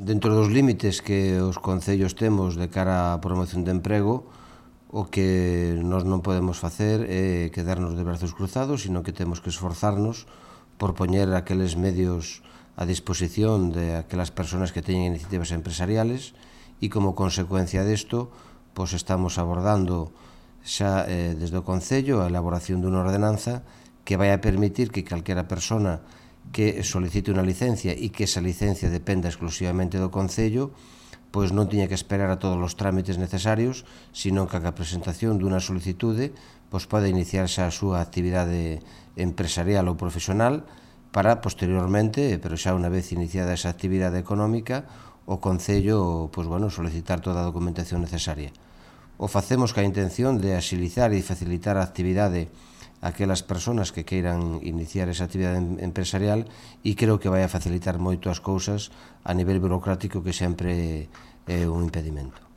Dentro dos límites que os concellos temos de cara á promoción de emprego, o que nós non podemos facer é quedarnos de brazos cruzados, sino que temos que esforzarnos por poñer aqueles medios a disposición de aquelas persoas que teñen iniciativas empresariales e como consecuencia desto, pois estamos abordando xa desde o Concello a elaboración dunha ordenanza que vai a permitir que calquera persona que solicite unha licencia e que esa licencia dependa exclusivamente do Concello, pois non tiña que esperar a todos os trámites necesarios, sino que a presentación dunha solicitude pois pode iniciar xa a súa actividade empresarial ou profesional para posteriormente, pero xa unha vez iniciada esa actividade económica, o Concello pois, solicitar toda a documentación necesaria. O facemos ca intención de axilizar e facilitar a actividade aquelas persoas que queiran iniciar esa actividade empresarial e creo que vai a facilitar moito as cousas a nivel burocrático que sempre é un impedimento.